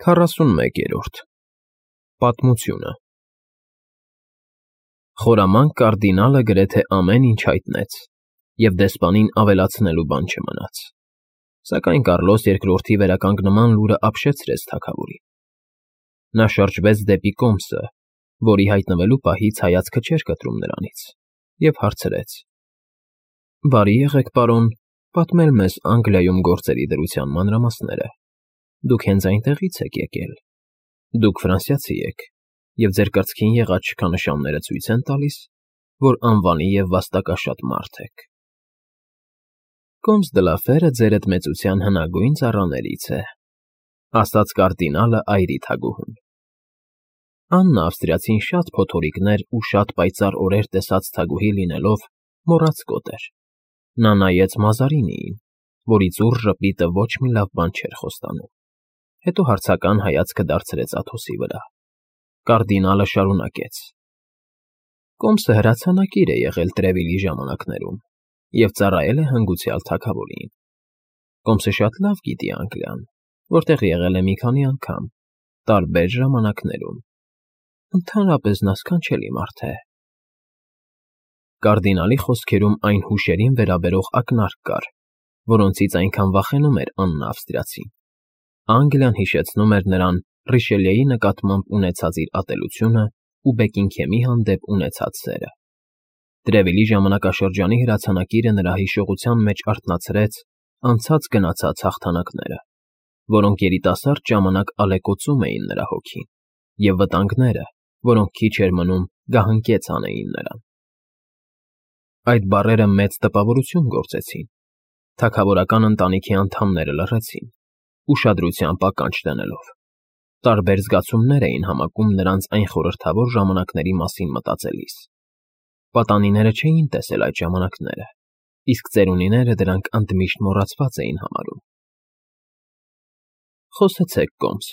41-րդ Պատմությունը Խորամանկ կարդինալը գրեթե ամեն ինչ հայտնեց, և դեսպանին ավելացնելու բան չմնաց, սակայն Կարլոս II-ի վերականգնման լուրը ապշեցրեց թագավորին։ Նա շրջվեց դեպի կոմսը, որի հայտնվելու պահից հայացքը չէր կտրում նրանից, և հարցրեց. «Բարի եղեք, պարոն, պատմել մեզ Անգլիայում գործերի դրության մանրամասները։ Դուք հենց այնտեղից եք եկել։ Դուք ֆրանսիացի եք, և ձեր կրծքին եղած շքանշանները ցույց են տալիս, որ անվանի և վաստակաշատ մարդ եք»։ «Կոմս դը լա Ֆերը ձերդ մեծության հնագույն ծառաներից է», ասաց կարդինալը այրի թագուհուն։ Աննա ավստրիացին շատ փոթորիկներ ու շատ պայծառ օրեր տեսած թագուհի լինելով մոռացկոտ էր։ Նա նայեց Մազարինիին, որի ծուռ ժպիտը ոչ մի լավ բան չէր խոստանում, հետո հարցական հայացքը դարձրեց Աթոսի վրա։ Կարդինալը շարունակեց. «Կոմսը հրացանակիր է եղել Տրևիլի ժամանակներում և ծառայել է հանգուցյալ թագավորին։ Կոմսը շատ լավ գիտի Անգլիան, որտեղ եղել է մի քանի անգամ, տարբեր ժամանակներում։ Ընդհանրապես նա սքանչելի մարդ է»։ Կարդինալի խոսքերում այն հուշերին վերաբերող ակնարկ կար, որոնցից այնքան վախենում էր Աննա ավստրիացին։ Անգլիան հիշեցնում էր նրան Ռիշելիեի նկատմամբ ունեցած իր ատելությունը ու Բեկինգհեմի հանդեպ ունեցած սերը։ Տրևիլի ժամանակաշրջանի հրացանակիրը նրա հիշողության մեջ արթնացրեց անցած գնացած հաղթանակները, որոնք երիտասարդ ժամանակ ալեկոծում էին նրա հոգին, և վտանգները, որոնք քիչ էր մնում գահընկեց անեին նրան։ Այդ բառերը մեծ տպավորություն գործեցին։ Թագավորական ընտանիքի անդամները լռեցին, ուշադրությամբ ականջ դնելով։ Տարբեր զգացումներ էին համակում նրանց այն խորհրդավոր ժամանակների մասին մտածելիս։ Պատանիները չէին տեսել այդ ժամանակները, իսկ ծերունիները դրանք ընդմիշտ մոռացված էին համարում։ «Խոսեցեք, Կոմս»,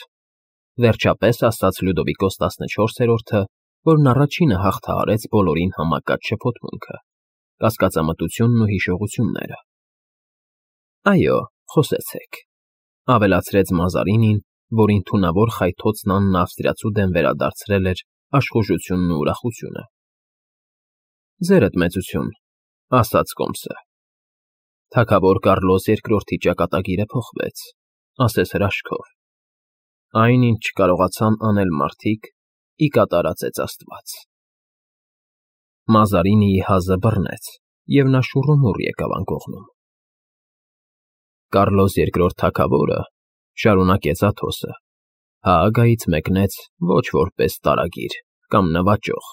վերջապես ասաց Լյուդովիկոս 14-րդը, որն առաջինը հաղթահարեց բոլորին համակած շփոթմունքը, կասկածամտությունն ու հիշողությունները։ «Այո, խոսեցեք», ավելացրեց Մազարինին, որին թունավոր խայթոցն Աննա ավստրիացու դեմ վերադարձրել էր աշխուժությունն ու ուրախությունը։ «Ձերդ մեծություն», ասաց Կոմսը։ «Թագավոր Կարլոս II-ի ճակատագիրը փոխվեց», ասես հրաշքով։ «Այն, ինչ չկարողացան անել մարդիկ, ի կատարած է Աստված»։ Մազարինիի հազը բռնեց, և նա շուռումուռ եկավ անկողնում։ «Կարլոս II թագավորը», շարունակեց Աթոսը, «Հաագայից մեկնեց ոչ որպես տարագիր կամ նվաճող,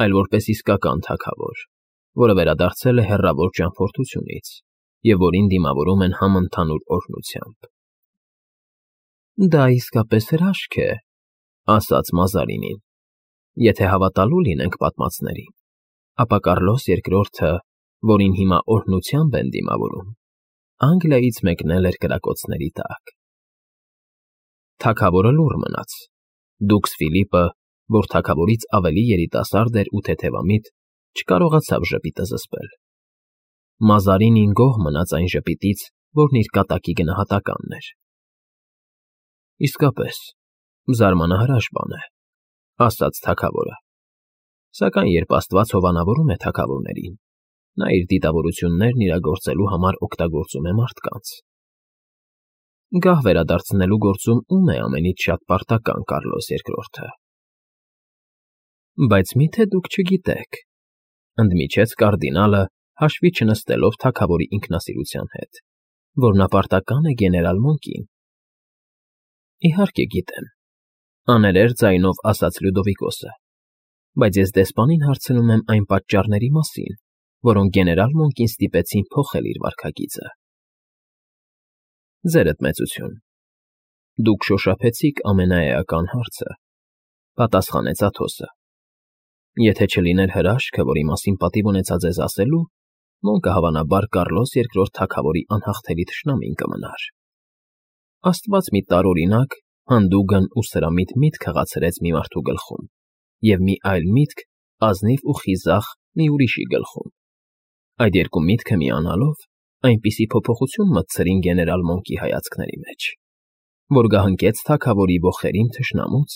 այլ որպես իսկական թագավոր, որը վերադարձել է հեռավոր ճամփորդությունից և որին դիմավորում են համընդհանուր օրհնությամբ»։ «Դա իսկապես հրաշք է», ասաց Մազարինին։ «Եթե հավատալու լինենք պատմածներին, ապա Կարլոս II-ը, որին հիմա օրհնությամբ են դիմավորում, Անգլիայից մեկնել էր կրակոցների տակ»։ Թագավորը լուռ մնաց։ Դուքս Ֆիլիպը, որ թագավորից ավելի երիտասարդ էր ու թեթևամիտ, չկարողացավ ժպիտը զսպել։ Մազարինին գոհ մնաց այն ժպիտից, որն իր կատակի գնահատականն էր։ «Իսկապես, զարմանահրաշ բան է», ասաց թագավորը։ «Սակայն երբ Աստված հովանավորում է թագավորներին, նա իր դիտավորություններն իրագործելու համար օգտագործում է մարդկանց։ Գահ վերադարձնելու գործում ում է ամենից շատ պարտական Կարլոս II-ը»։ «Բայց մի՞թե դուք չգիտեք», ընդմիջեց կարդինալը, հաշվի չնստելով թագավորի ինքնասիրության հետ, «որ նա պարտական է գեներալ Մոնկին»։ «Իհարկե գիտեմ», աներեր ձայնով ասաց Լյուդովիկոսը, «բայց ես դեսպանին հարցնում եմ այն պատճառների մասին, որոնք գեներալ Մոնկին ստիպեցին փոխել իր վարքագիծը»։ «Ձերդ մեծություն, դուք շոշափեցիք ամենաէական հարցը», պատասխանեց Աթոսը։ «Եթե չլիներ հրաշքը, որի մասին պատիվ ունեցա ձեզ ասելու, Մոնկը հավանաբար Կարլոս II թագավորի անհաղթելի թշնամին կմնար։ Աստված մի տարօրինակ, հանդուգն ու սրամիտ միտք հղացրեց մի մարդու գլխում, և մի այլ միտք ազնիվ ու խիզախ մի ուրիշի գլխում։ Այդ երկու միտքը միանալով այնպիսի փոփոխություն մտցրին գեներալ Մոնկի հայացքների մեջ, որ գահնկեց թագավորի ոխերին թշնամուց,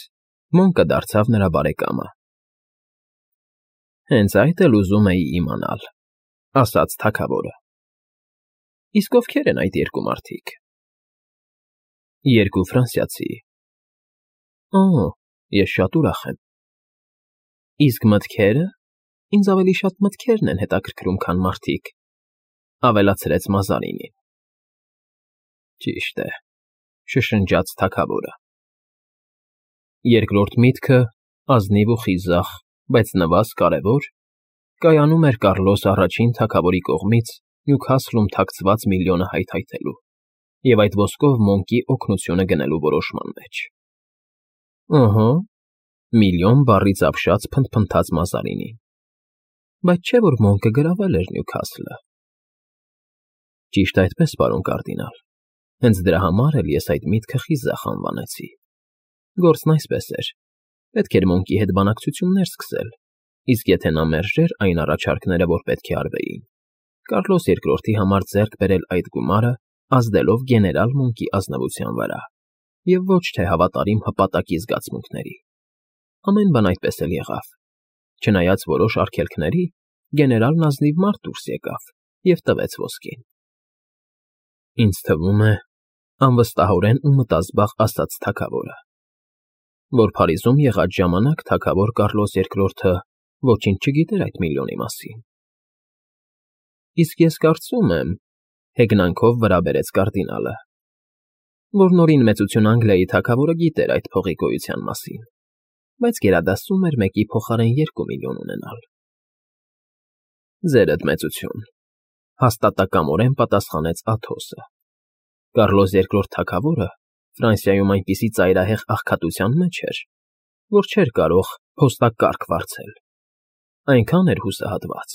Մոնկը դարձավ նրա բարեկամը։ Հենց այդ էլ ուզում էի իմանալ, ասաց թագավորը։ Իսկ ովքեր են այդ երկու մարդիկ։ Երկու ֆրանսիացի։ Օ, ես շատ ուրախ եմ։ Իսկ մտքերը։ Ինձ ավելի շատ մտքերն են հետաքրքրում, քան մարդիկ, ավելացրեց Մազարինին։ Ճիշտ է, շշնջաց թագավորը։ Երկրորդ միտքը, ազնիվ ու խիզախ, բայց նվազ կարևոր, կայանում էր Կառլոս առաջին թագավորի կողմից Նյուքասլում թաքցված միլիոնը հայթայթելու և այդ ոսկով Մոնկի օգնությունը գնելու որոշման մեջ։ Ըհը, միլիոն բառից ապշած փնթփնթաց Մազարինին։ Բայց չէ՞ որ Մոնկը գրավել էր Նյուքասլը։ Ճիշտ այդպես, պարոն կարդինալ, հենց դրա համար էլ ես այդ միտքը խիզախ անվանեցի։ Գործն այսպես էր. պետք էր Մոնկի հետ բանակցություններ սկսել, իսկ եթե նա մերժեր այն առաջարկները, որ պետք է արվեին, Կառլոս II-ի համար ձեռք բերել այդ գումարը, ազդելով գեներալ Մոնկի ազնվության վրա, և ոչ թե հավատարիմ հպատակի զգացմունքների։ Ամեն բան այդպես էլ եղավ։ Չնայած որոշ արգելքների, գեներալն ազնիվ մարդ դուրս եկավ և տվեց ոսկին։ Ինձ թվում է, անվստահորեն ու մտազբաղ ասաց թագավորը, որ Փարիզում եղած ժամանակ թագավոր Կառլոս II-ը ոչինչ չգիտեր այդ միլիոնի մասին։ Իսկ ես կարծում եմ, հեգնանքով վրա բերեց կարդինալը, որ նորին մեծություն Անգլիայի թագավորը գիտեր այդ փողի գոյության մասին, բայց գերադասում էր մեկի փոխարեն 2 միլիոն ունենալ։ Ձերդ մեծություն, հաստատակամորեն պատասխանեց Աթոսը։ Կառլոս II թագավորը Ֆրանսիայում այնպիսի ծայրահեղ աղքատության մեջ էր, որ չէր կարող փոստակարգ վարձել։ Այնքան էր հուսահատված,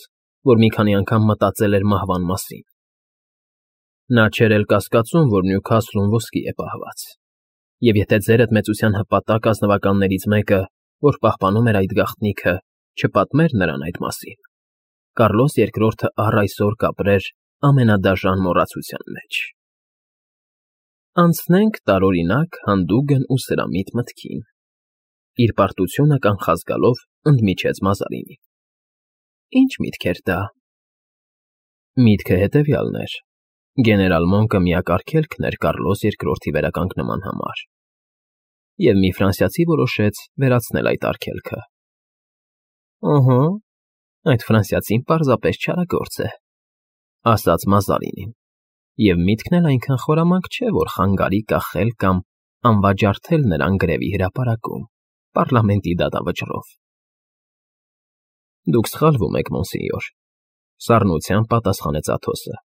որ մի քանի անգամ մտածել էր մահվան մասին։ Նա չէր էլ կասկածում, որ Նյուքասլում ոսկի է պահված, և եթե ձերդ մեծության հպատակ ազնվականներից մեկը, որ պահպանում էր այդ գաղտնիքը, չպատմեր նրան այդ մասին, Կառլոս II-ը առ այսօր կապրեր ամենադաժան մոռացության մեջ։ Անցնենք տարօրինակ հանդուգն ու սրամիտ մտքին, իր պարտությունը կանխազգալով ընդմիջեց Մազարինին։ Ինչ միտք էր դա։ Միտքը հետևյալն էր. գեներալ Մոնկը միակ արգելքն էր Կառլոս II-ի վերականգնման համար, և մի ֆրանսիացի որոշեց վերացնել այդ արգելքը։ Ըհը, այդ ֆրանսիացին պարզապես չարագործ է, ասաց Մազարինին, և միտքն էլ այնքան խորամանկ չէ, որ խանգարի կախել կամ անվաճառթել նրան գրևի հրապարակում, պառլամենտի դատավճռով։ Դուք սխալվում եք, մոնսենյոր, սառնությամբ պատասխանեց Աթոսը։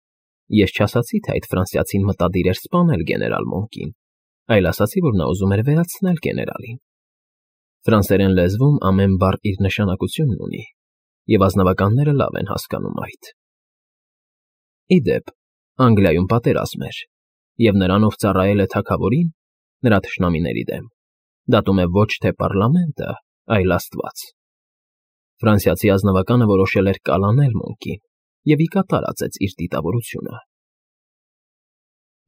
Ես չասացի, թե այդ ֆրանսիացին մտադիր էր սպանել գեներալ Մոնկին, այլ ասացի, որ նա ուզում էր վերացնել գեներալին։ Ֆրանսերեն լեզվում ամեն բառ իր նշանակությունն ունի, և ազնվականները լավ են հասկանում այդ։ Ի դեպ, Անգլիայում պատերազմ էր, և նրան, ով ծառայել է թագավորին, նրա թշնամիների դեմ, դատում է ոչ թե պառլամենտը, այլ Աստված։ Ֆրանսիացի ազնվականը որոշել էր կալանել Մոնկին և ի կատար ածեց իր դիտավորությունը։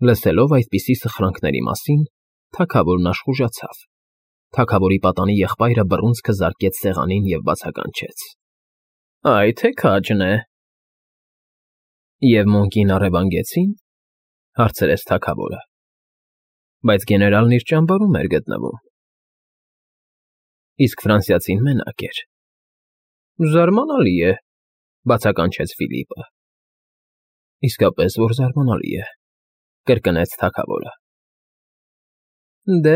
Լսելով այդպիսի սխրանքների մասին, թագավորն աշխուժացավ։ Թագավորի պատանի եղբայրը բռունցքը զարկեց սեղանին և բացականչեց. Այ թե քաջն է։ Եվ Մոնկին առևանգեցի՞ն, հարցրեց թագավորը։ Բայց գեներալն իր ճամբարում էր գտնվում։ Իսկ ֆրանսիացին մենակ էր։ Զարմանալի է, բացականչեց Ֆիլիպը։ Իսկապես որ զարմանալի է, կրկնեց թագավորը։ Դե,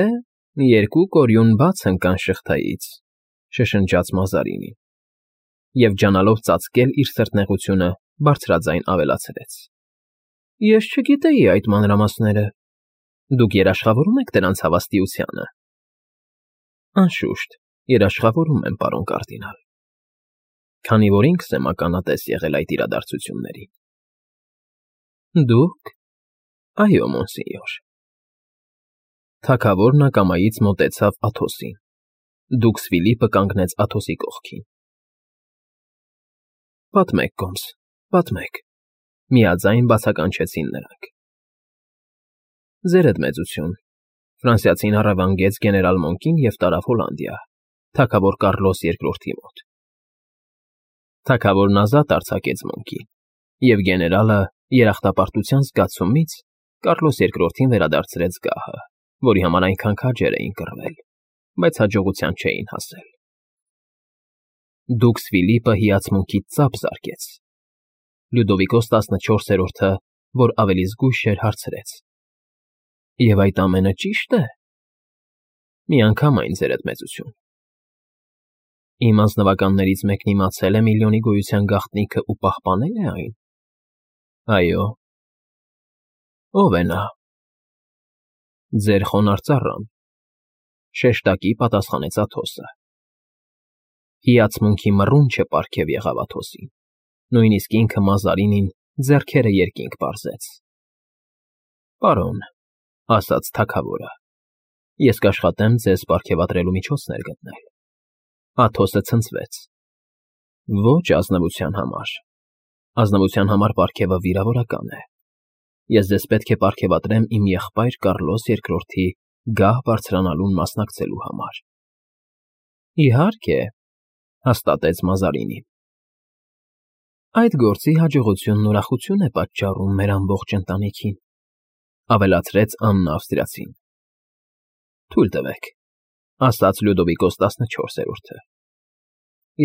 երկու կորյուն բաց ընկան շղթայից, շշնջաց Մազարինին, և ջանալով ծածկել իր սրտնեղությունը, բարձրաձայն ավելացրեց. Ես չգիտեի այդ մանրամասները։ Դուք երաշխավորում եք դրանց հավաստիությանը։ Անշուշտ, երաշխավորում եմ, պարոն կարդինալ, քանի որ ինքս եմ ականատես եղել այդ իրադարձություններին։ Դուք։ Այո, մոնսենյոր։ Թագավորն ակամայից մոտեցավ Աթոսին։ Դուքս Ֆիլիպը կանգնեց Աթոսի կողքին։ Պատմեք, կոմս, պատմեք, միաձայն բացականչեցին նրանք։ Ձերդ մեծություն, Ֆրանսիացին առևանգեց գեներալ Մոնկին և տարավ Հոլանդիա, թագավոր Կառլոս II մոտ։ Թագավորն ազատ արձակեց Մոնկին, և գեներալը երախտապարտության զգացումից Կառլոս II-ին վերադարձրեց գահը, որի համար այնքան քաջեր էին կռվել, բայց հաջողության չէին հասել։ Դուքս Ֆիլիպը հիացմունքից ծափ զարկեց։ Լյուդովիկոս 14-րդը, որ ավելի զգույշ էր, հարցրեց. Եվ այդ ամենը ճի՞շտ է։ Միանգամայն, ձերդ մեծություն։ Իմ անձնվականներից մեկն իմացել է միլիոնի գոյության գաղտնիքը ու պահպանել է այն։ Այո։ Ո՞վ է նա։ Ձեր խոնարհ ծառան, շեշտակի պատասխանեց Աթոսը։ Հիացմունքի մռունչը պարգև եղավ Աթոսին, նույնիսկ ինքը Մազարինին ձեռքերը երկինք պարզեց։ Պարոն, ասաց թագավորը, ես կաշխատեմ ձեզ պարգևատրելու միջոցներ գտնել։ Աթոսը ցնցվեց։ Ոչ ազնվության համար։ Ազնվության համար պարգևը վիրավորական է։ Ես ձեզ պետք է պարգևատրեմ իմ եղբայր Կառլոս II-ի գահ բարձրանալուն մասնակցելու համար։ Իհարկե, հաստատեց Մազարինին։ Այդ գործի հաջողությունն ուրախություն է պատճառում մեր ամբողջ ընտանիքին, ավելացրեց Աննա Ավստրիացին։ Թույլ տվեք, ասաց Լյուդովիկոս 14-րդը։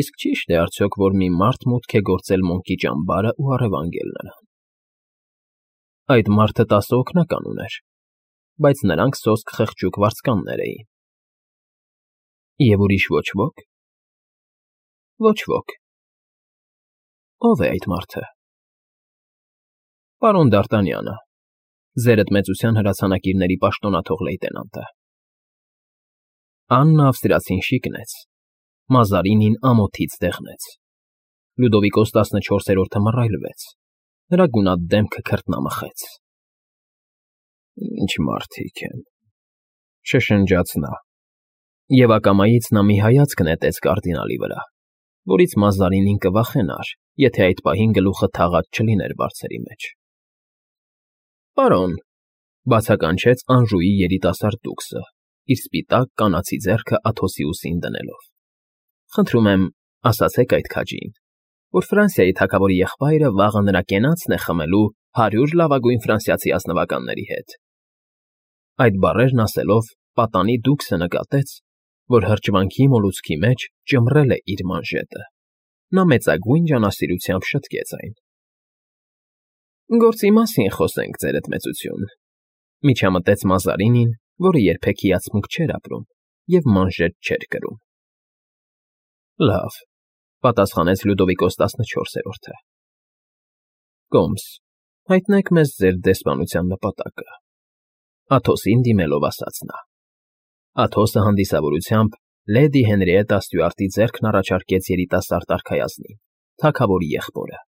Իսկ ճի՞շտ է արդյոք, որ մի մարդ մուտք է գործել Մոնկի ճամբարը ու առևանգել նրան։ Այդ մարդը 10 օգնական ուներ, բայց նրանք սոսկ խղճուկ վարձկաններ էին։ Եվ ուրիշ ոչ ոք։ Ոչ ոք։ Ո՞վ է այդ մարդը։ Պարոն Դ'Արտանյանը, ձերդ մեծության հրացանակիրների պաշտոնաթող լեյտենանտը։ Աննա Ավստրիացին շիկնեց, Մազարինին ամոթից դեղնեց։ Լյուդովիկոս 14-րդը մռայլվեց, նրա գունատ դեմքը քրտնամխեց։ Ինչ մարդիկ են, շշնջաց նա, և ակամայից նա մի հայացք նետեց կարդինալի վրա, որից Մազարինին կվախենար, եթե այդ պահին գլուխը թաղած չլիներ բարձերի մեջ։ Պարոն, բացականչեց Անժուի երիտասարդ դուքսը, իր սպիտակ կանացի ձեռքը Աթոսի ուսին դնելով։ Խնդրում եմ, ասացեք այդ քաջին, որ Ֆրանսիայի թագավորի եղբայրը վաղը նրա կենացն է խմելու 100 լավագույն ֆրանսիացի ազնվականների հետ։ Այդ բառերն ասելով, պատանի դուքսը նկատեց, որ հրճվանքի մոլուցքի մեջ ճմռել է իր մանժետը։ Նա մեծագույն ջանասիրությամբ շտկեց այն։ Գործի մասին խոսենք, ձերդ մեծություն, միջամտեց Մազարինին, որը երբեք հիացմունք չէր ապրում և մանժետ չէր կրում։ Լավ, պատասխանեց Լյուդովիկոս 14-րդը։ Կոմս, հայտնեք մեզ ձեր դեսպանության նպատակը։ Աթոսին դիմելով ասաց նա։ Աթոսը հանդիսավորությամբ լեդի Հենրիետտա Ստյուարտի ձեռքն առաջարկեց երիտասարդ արքայազնին, թագավորի եղբորը։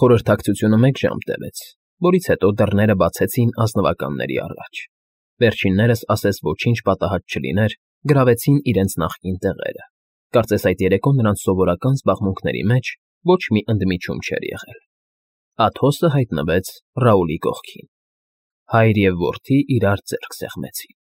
Խորհրդակցությունը 1 ժամ տևեց, որից հետո դռները բացեցին ազնվականների առաջ։ Վերջիններս, ասես ոչինչ պատահած չլիներ, գրավեցին իրենց նախկին տեղերը։ Կարծես այդ երեկո նրանց սովորական զբաղմունքների մեջ ոչ մի ընդմիջում չէր եղել։ Աթոսը հայտնվեց Ռաուլի կողքին։ Հայր և որդի իրար ձեռք սեղմեցին։